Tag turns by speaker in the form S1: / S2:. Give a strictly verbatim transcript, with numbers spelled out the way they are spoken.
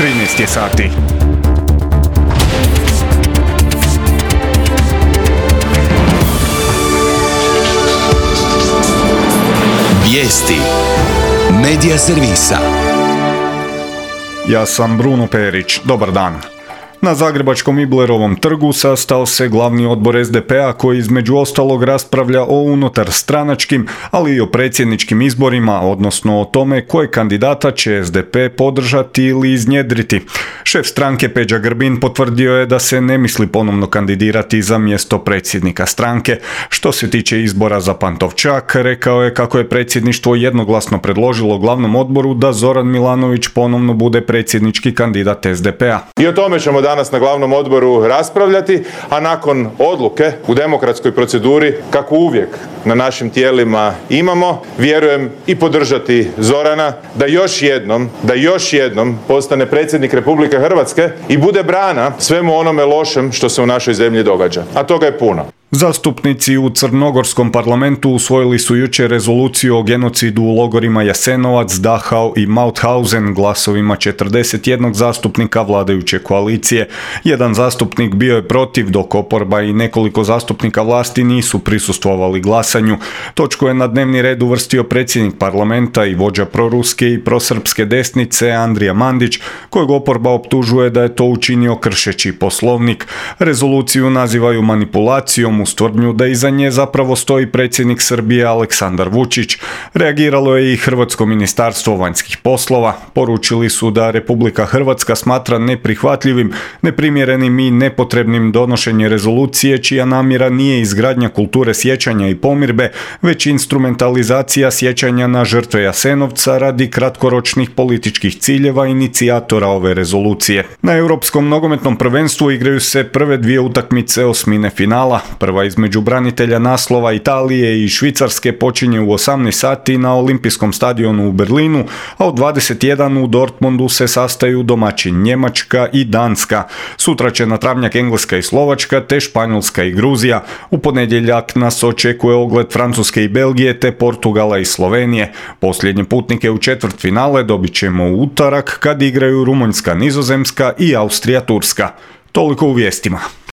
S1: trinaest je sati.
S2: Vijesti Medija servisa.
S1: Ja sam Bruno Perić. Dobar dan. Na zagrebačkom Iblerovom trgu sastao se glavni odbor es de pe a koji između ostalog raspravlja o unutarstranačkim, ali i o predsjedničkim izborima, odnosno o tome koje kandidata će es de pe podržati ili iznjedriti. Šef stranke Peđa Grbin potvrdio je da se ne misli ponovno kandidirati za mjesto predsjednika stranke. Što se tiče izbora za Pantovčak, rekao je kako je predsjedništvo jednoglasno predložilo glavnom odboru da Zoran Milanović ponovno bude predsjednički kandidat es de pe a.
S3: I o tome ćemo danas na glavnom odboru raspravljati, a nakon odluke u demokratskoj proceduri, kako uvijek na našim tijelima imamo, vjerujem i podržati Zorana da još jednom, da još jednom postane predsjednik Republike Hrvatske i bude brana svemu onome lošem što se u našoj zemlji događa. A toga je puno.
S1: Zastupnici u crnogorskom parlamentu usvojili su jučer rezoluciju o genocidu u logorima Jasenovac, Dachau i Mauthausen glasovima četrdeset jedan zastupnika vladajuće koalicije. Jedan zastupnik bio je protiv, dok oporba i nekoliko zastupnika vlasti nisu prisustvovali glasanju. Točku je na dnevni red uvrstio predsjednik parlamenta i vođa proruske i prosrpske desnice Andrija Mandić, kojeg oporba optužuje da je to učinio kršeći poslovnik. Rezoluciju nazivaju manipulacijom uz tvrdnju da iza nje zapravo stoji predsjednik Srbije Aleksandar Vučić. Reagiralo je i Hrvatsko ministarstvo vanjskih poslova. Poručili su da Republika Hrvatska smatra neprihvatljivim, neprimjerenim i nepotrebnim donošenje rezolucije čija namjera nije izgradnja kulture sjećanja i pomirbe, već instrumentalizacija sjećanja na žrtve Jasenovca radi kratkoročnih političkih ciljeva inicijatora ove rezolucije. Na Europskom nogometnom prvenstvu igraju se prve dvije utakmice osmine finala. Prva između branitelja naslova Italije i Švicarske počinje u osamnaest sati na Olimpijskom stadionu u Berlinu, a u dvadeset jedan u Dortmundu se sastaju domaćin Njemačka i Danska. Sutra će na travnjak Engleska i Slovačka, te Španjolska i Gruzija. U ponedjeljak nas očekuje ogled Francuske i Belgije, te Portugala i Slovenije. Posljednje putnike u četvrtfinale dobit ćemo u utorak kad igraju Rumunjska, Nizozemska i Austrija, Turska. Toliko u vijestima.